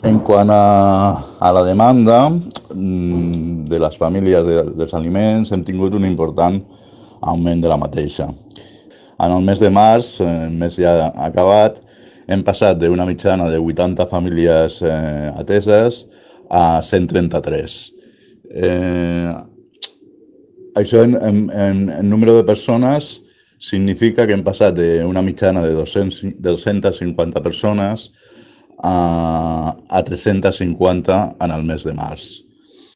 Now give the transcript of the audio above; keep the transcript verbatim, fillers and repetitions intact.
En quant a, a la demanda mm, de les famílies de, dels aliments, hem tingut un important augment de la mateixa. En el mes de març, eh, el mes ja acabat, hem passat d'una mitjana de vuitanta famílies eh, ateses a cent trenta-tres. Eh, Això en, en, en, en número de persones significa que hem passat d'una mitjana de dos-cents, de dos-centes cinquanta persones a, a tres-centes cinquanta en el mes de març.